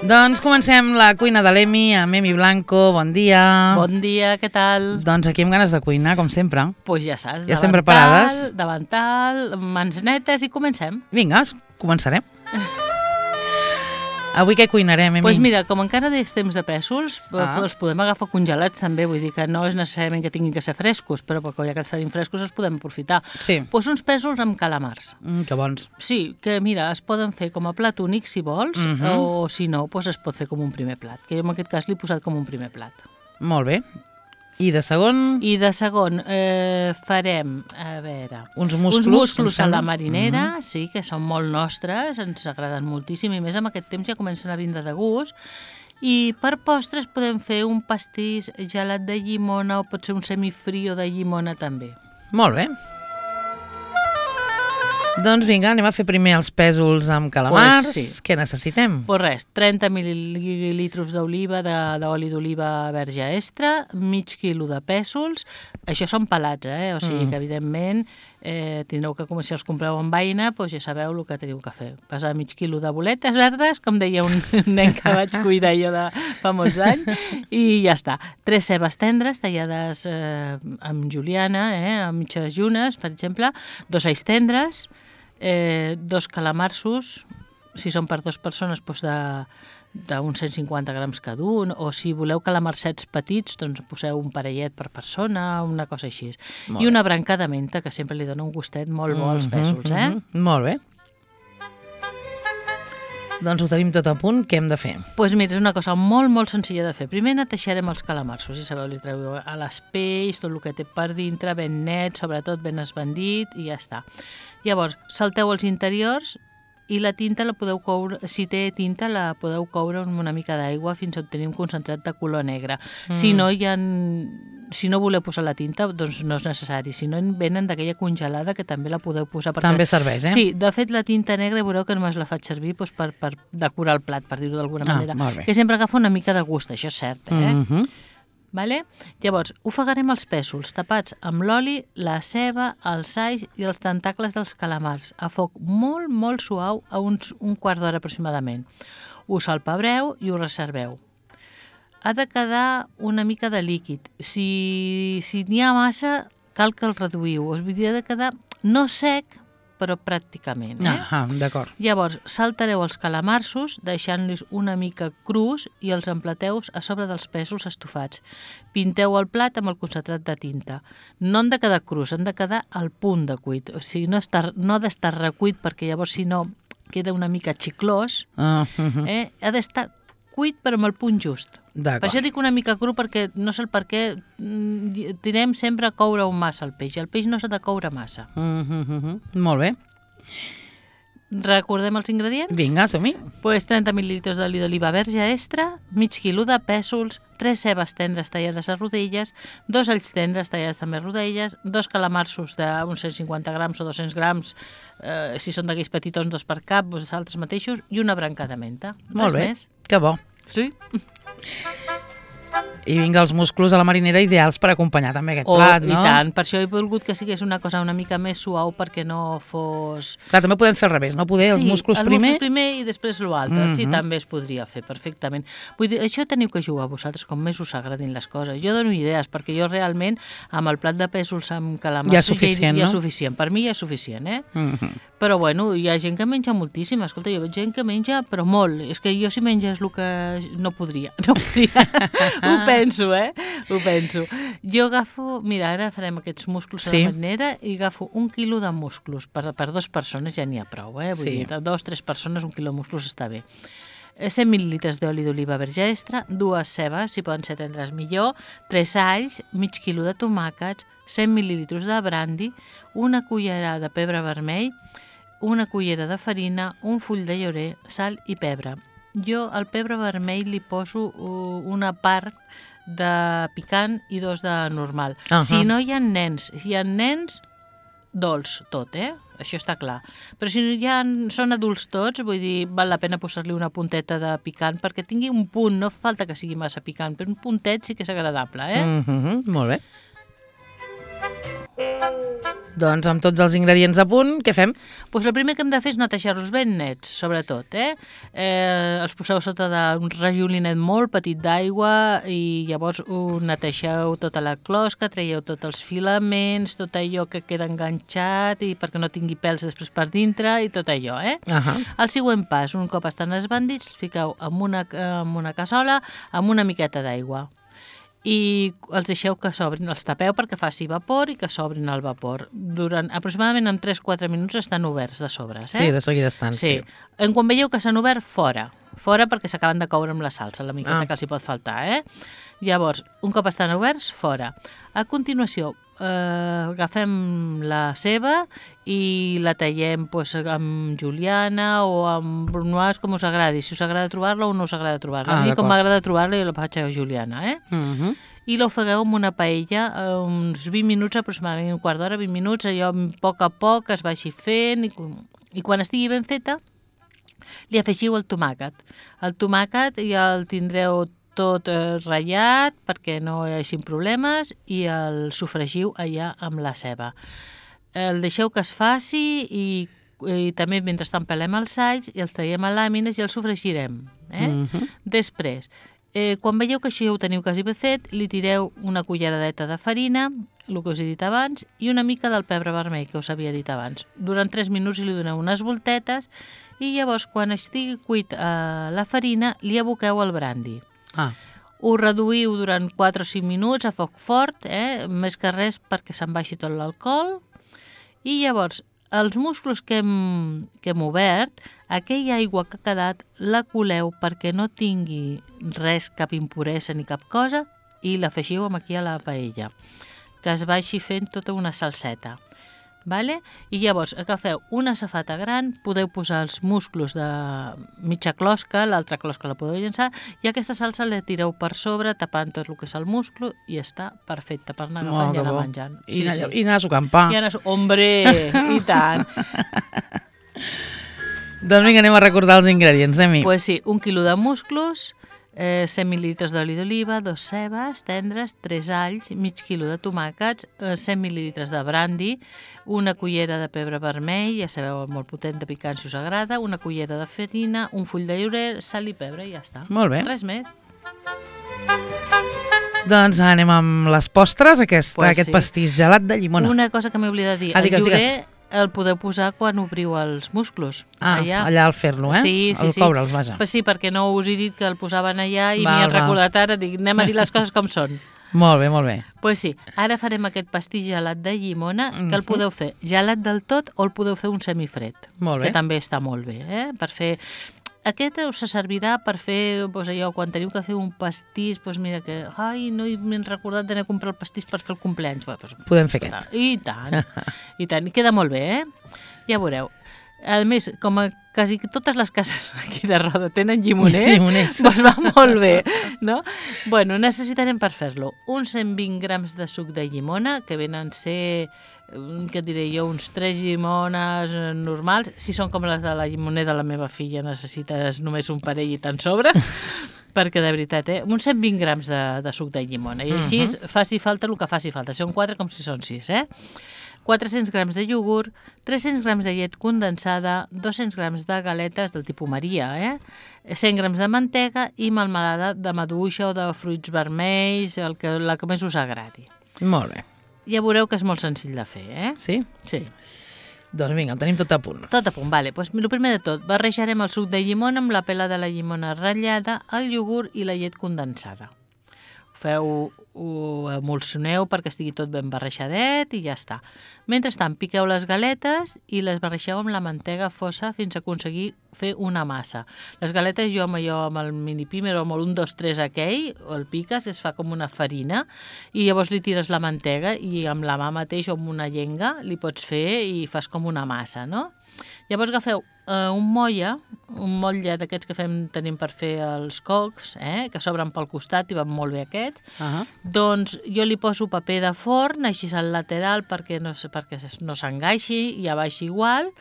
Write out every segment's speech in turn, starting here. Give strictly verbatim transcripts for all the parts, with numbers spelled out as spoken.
Doncs comencem la cuina de l'Emi amb Emi Blanco. Bon dia. Bon dia, què tal? Doncs aquí amb ganes de cuinar, com sempre. Doncs pues ja saps, ja estem preparades. Davantal, mans netes i comencem. Vinga, començarem. Avui què cuinarem, Emi? Doncs pues mira, com encara és temps de pèsols, ah. els podem agafar congelats també, vull dir que no és necessàriament que tinguin que ser frescos, però ja que estan frescos els podem aprofitar. Sí. Doncs pues uns pèsols amb calamars. Mm, que bons. Sí, que mira, es poden fer com a plat únic si vols, uh-huh. o si no, pues es pot fer com un primer plat, que jo en aquest cas l'he posat com un primer plat. Molt bé. I de segon? I de segon eh, farem, a veure... Uns musclos. Uns musclos a la marinera, mm-hmm. sí, que són molt nostres, ens agraden moltíssim, i més amb aquest temps ja comencen a vindre de gust. I per postres podem fer un pastís gelat de llimona o pot ser un semifrio de llimona també. Molt bé. Doncs vinga, anem a fer primer els pèsols amb calamars. Pues sí. Què necessitem? Pues res, trenta mil·lilitres d'oliva, d'oli d'oliva verge extra, mig quilo de pèsols. Això són pelats, eh? O sigui mm. que, evidentment, eh, tindreu que, com si els compreu en vaina, doncs ja sabeu el que teniu que fer. Passar mig quilo de boletes verdes, com deia un nen que vaig cuidar jo de fa molts anys, i ja està. Tres cebes tendres, tallades eh, amb juliana, eh, amb mitges llunes, per exemple, dos alls tendres, Eh, dos calamarsos, si són per dues persones doncs d'uns cent cinquanta grams cada un, o si voleu calamarsets petits doncs poseu un parellet per persona, una cosa així. Molt I una branca de menta que sempre li dona un gustet molt bo als pèsols, eh? Mm-hmm. Molt bé. Doncs ho tenim tot a punt, què hem de fer? Doncs pues mira, és una cosa molt, molt senzilla de fer. Primer netejarem els calamarsos, si sabeu, li treu a les pells, tot el que té per dintre, ben net, sobretot ben esbandit, i ja està. Llavors, salteu els interiors i la tinta la podeu coure, si té tinta la podeu coure amb una mica d'aigua fins a obtenir un concentrat de color negre. Mm. Si no hi ha... Si no voleu posar la tinta, doncs no és necessari. Si no, venen d'aquella congelada que també la podeu posar. Perquè... També serveix, eh? Sí, de fet, la tinta negra veureu que només la faig servir doncs, per, per decorar el plat, per dir-ho d'alguna ah, manera. Que sempre agafa una mica de gust, això és cert, eh? Mm-hmm. Vale? Llavors, ofegarem els pèsols tapats amb l'oli, la ceba, els alls i els tentacles dels calamars a foc molt, molt suau a uns un quart d'hora aproximadament. Ho salpebreu i ho reserveu. Ha de quedar una mica de líquid. Si si n'hi ha massa, cal que el reduïu. Us vull dir, ha de quedar no sec, però pràcticament. Eh? Ah, d'acord. Llavors, saltareu els calamarsos, deixant-los una mica crus i els emplateu a sobre dels pèsols estofats. Pinteu el plat amb el concentrat de tinta. No han de quedar crus, han de quedar al punt de cuit. O sigui, no, estar, no ha d'estar recuit, perquè llavors, si no, queda una mica xiclós. Ah, uh-huh. eh? Ha d'estar cuit, però amb el punt just. Per això dic una mica cru, perquè no sé el per què tirem sempre a coure-ho massa el peix. El peix no s'ha de coure massa. Mm-hmm. Molt bé. Recordem els ingredients? Vinga, som-hi. Pues trenta mil·lilitres d'oli d'oliva verge extra, mig quilo de pèsols, tres cebes tendres tallades a rodelles, dos alls tendres tallades també a rodelles, dos calamarsos d'uns cent cinquanta grams o dos-cents grams, eh, si són d'aquells petitons, dos per cap, vosaltres mateixos, i una branca de menta. Molt bé, més. Que bo. Sí. I vinga, els musclos a la marinera ideals per acompanyar també aquest oh, plat, no? I tant, per això he volgut que sigués una cosa una mica més suau perquè no fos... Clar, també podem fer al revés, no? Poder sí, els musclos el primer... Sí, el primer i després l'altre, mm-hmm. sí, també es podria fer perfectament. Vull dir, això teniu que jugar vosaltres, com més us agradin les coses. Jo dono idees, perquè jo realment, amb el plat de pèsols amb calamars... Ja és suficient, ja, no? Ja és suficient, per mi ja és suficient, eh? Mm-hmm. Però bueno, hi ha gent que menja moltíssim, escolta, jo veig gent que menja, però molt. És que jo si menges el que no podria, no podria. Ho penso, eh? Ho penso. Jo agafo, mira, ara farem aquests musclos a sí. la marinera i agafo un quilo de musclos. Per, per dues persones ja n'hi ha prou, eh? Vull sí. dir, dos, tres persones, un quilo de musclos està bé. cent mil·lilitres d'oli d'oliva verge extra, dues cebes, si poden ser tendres millor, tres alls, mig quilo de tomàquets, cent mil·lilitres de brandy, una cullerada de pebre vermell, una cullera de farina, un full de llorer, sal i pebre. Jo al pebre vermell li poso una part de picant i dos de normal. Uh-huh. Si no hi ha nens, si hi ha nens, dolç tot, eh? Això està clar. Però si ja són adults tots, vull dir, val la pena posar-li una punteta de picant perquè tingui un punt, no fa falta que sigui massa picant, però un puntet sí que és agradable, eh? Mm-hmm, molt bé. Doncs amb tots els ingredients a punt, què fem? Pues el primer que hem de fer és netejar-los ben nets, sobretot. Eh? Eh, els poseu sota d'un rajolinet molt petit d'aigua i llavors ho neteixeu tota la closca, traieu tots els filaments, tot allò que queda enganxat i perquè no tingui pèls després per dintre i tot allò. Eh? Uh-huh. El següent pas, un cop estan esbandits, els fiqueu en una, en una cassola amb una miqueta d'aigua. I els deixeu que s'obrin, els tapeu perquè faci vapor i que s'obrin al vapor. Durant aproximadament en tres a quatre minuts estan oberts de sobres. Eh? Sí, de seguida estan. Sí. sí. En quan veieu que s'han obert, fora. Fora perquè s'acaben de coure amb la salsa, la miqueta ah. que els hi pot faltar. Eh? Llavors, un cop estan oberts, fora. A continuació, eh, agafem la ceba i la tallem pues, amb juliana o amb brunoise, com us agradi. Si us agrada trobar-la o no us agrada trobar-la. Ah, a mi, com m'agrada trobar-la, jo la faig a juliana. Eh? Uh-huh. I l'ofegueu amb una paella uns vint minuts, aproximadament un quart d'hora, vint minuts, allò a poc a poc es vagi fent i, i quan estigui ben feta li afegiu el tomàquet. El tomàquet ja el tindreu tot eh, ratllat perquè no hi hagi problemes i el sofregiu allà amb la ceba. El deixeu que es faci i, i també mentrestant pelem els alls i els traiem a làmines i els sofregirem. Eh? Uh-huh. Després, eh, quan veieu que això ja ho teniu quasi ben fet, li tireu una culleradeta de farina, el que us he dit abans, i una mica del pebre vermell que us havia dit abans. Durant tres minuts li doneu unes voltetes i llavors quan estigui cuit eh, la farina li aboqueu el brandi. Ah. Ho reduïu durant quatre o cinc minuts a foc fort, eh? Més que res perquè se'n baixi tot l'alcohol. I llavors, els musclos que hem, que hem obert, aquella aigua que ha quedat, la coleu perquè no tingui res, cap impuresa ni cap cosa, i l'afegiu aquí a la paella, que es vagi fent tota una salseta. Vale? I llavors agafeu una safata gran, podeu posar els musclos de mitja closca, l'altra closca la podeu llençar, i aquesta salsa la tireu per sobre, tapant tot el que és el musclo, i està perfecta per anar agafant i anar menjant. I, sí, anar, sí. I anar sucant pa. I anar sucant, hombre, i tant. Doncs vinga, anem a recordar els ingredients, eh, mi? Pues sí, un quilo de musclos, eh, cent mil·lilitres d'oli d'oliva, dos cebes tendres, tres alls, mig quilo de tomàquets, eh, cent mil·lilitres de brandi, una cullera de pebre vermell, ja sabeu, molt potent de picant si us agrada, una cullera de farina, un full de llorer, sal i pebre i ja està. Molt bé. Res més. Doncs anem amb les postres, aquest, pues aquest sí. Pastís gelat de llimona. Una cosa que m'he oblidat de dir, ah, digues, el llorer digues. el podeu posar quan obriu els musclos. Ah, allà, allà al fer-lo, eh? Sí, sí, al sí. coure'ls, vaja. Pues sí, perquè no us he dit que el posaven allà i m'hi val, han recordat ara, dic, anem a dir les coses com són. Molt bé, molt bé. Pues sí, ara farem aquest pastís gelat de llimona, que el podeu fer gelat del tot o el podeu fer un semifred. Molt bé. Que també està molt bé, eh? Per fer... Aquest us servirà per fer, doncs allò, quan teniu que fer un pastís, doncs mira que, ai, no m'he recordat d'anar a comprar el pastís per fer el compleanys. Doncs, podem fer aquest. I tant, i tant, i queda molt bé, eh? Ja veureu. A més, com a quasi totes les cases d'aquí de Roda tenen llimoners, llimoners. Doncs va molt bé, no? Bueno, necessitarem per fer-lo uns cent vint grams de suc de llimona, que venen a ser, què et diré jo, uns tres llimones normals. Si són com les de la llimoner de la meva filla, necessites només un parell i te'n sobra, perquè de veritat, eh? Uns cent vint grams de, de suc de llimona. I així uh-huh. faci falta el que faci falta. Si són quatre, com si són sis, eh? quatre-cents grams de iogurt, tres-cents grams de llet condensada, dos-cents grams de galetes del tipus Maria, eh? cent grams de mantega i melmelada de maduixa o de fruits vermells, el que, la que més us agradi. Molt bé. Ja veureu que és molt senzill de fer, eh? Sí? Sí. Doncs vinga, el tenim tot a punt. Tot a punt, vale. Pues, el primer de tot, barrejarem el suc de llimona amb la pela de la llimona ratllada, el iogurt i la llet condensada. Feu, ho emulsioneu perquè estigui tot ben barrejadet i ja està. Mentrestant, piqueu les galetes i les barreixeu amb la mantega fosa fins a aconseguir fer una massa. Les galetes jo amb allò, amb el mini pimer o amb el un, dos, tres aquell, el piques, es fa com una farina i llavors li tires la mantega i amb la mà mateix o amb una llenga li pots fer i fas com una massa, no? Llavors agafeu eh, un molla, un motlle d'aquests que fem, tenim per fer els cocs, eh, que s'obren pel costat i van molt bé aquests. Uh-huh. Doncs jo li poso paper de forn, així al lateral perquè no, perquè no s'engaixi i a baix igual.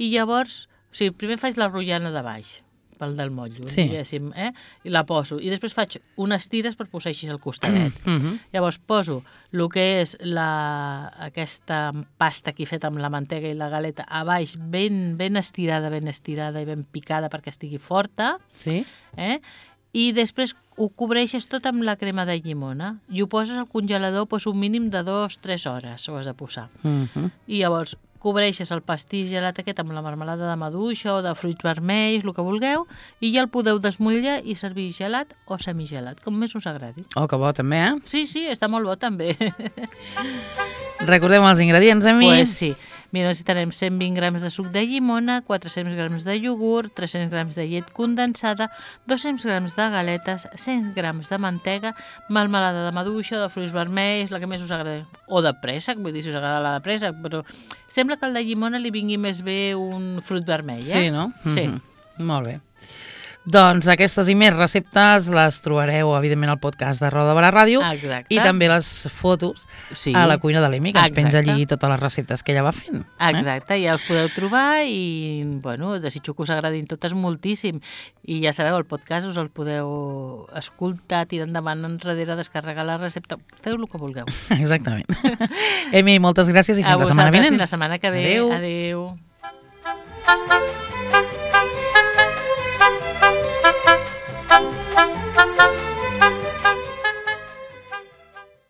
I llavors, o sigui, primer faig la rotllana de baix, pel del motllo, Sí. diguéssim, eh? I la poso. I després faig unes tires per posar així al costadet. Mhm. Llavors poso el que és la, aquesta pasta que he fet amb la mantega i la galeta a baix, ben, ben estirada, ben estirada i ben picada perquè estigui forta, Sí. eh? I després ho cobreixes tot amb la crema de llimona i ho poses al congelador doncs, un mínim de dues a tres hores ho has de posar. Mhm. I llavors cobreixes el pastís gelat aquest amb la marmelada de maduixa o de fruits vermells, el que vulgueu, i ja el podeu desmotllar i servir gelat o semigelat, com més us agradi. Oh, que bo també, eh? Sí, sí, està molt bo també. Recordem els ingredients, Emi. Pues sí. Mira, necessitarem cent vint grams de suc de llimona, quatre-cents grams de iogurt, tres-cents grams de llet condensada, dos-cents grams de galetes, cent grams de mantega, melmelada de maduixa, de fruits vermells, la que més us agrada, o de préssec, vull dir, si us agrada la de préssec, però sembla que el de llimona li vingui més bé un fruit vermell, eh? Sí, no? Sí. Mhm. Molt bé. Doncs aquestes i més receptes les trobareu, evidentment, al podcast de Roda de Barà Ràdio. Exacte. I també les fotos Sí. a la cuina de l'Emi, que ens penja Exacte. allí totes les receptes que ella va fent. Exacte, ja els podeu trobar i, bueno, desitjo que us agradin totes moltíssim. I ja sabeu, el podcast us el podeu escoltar, tirar endavant enrere, descarregar la recepta, feu el que vulgueu. Eh? Exactament. Emi, moltes gràcies i fins A la setmana vosaltres, vinent. fins la setmana que ve. Adéu. Adéu.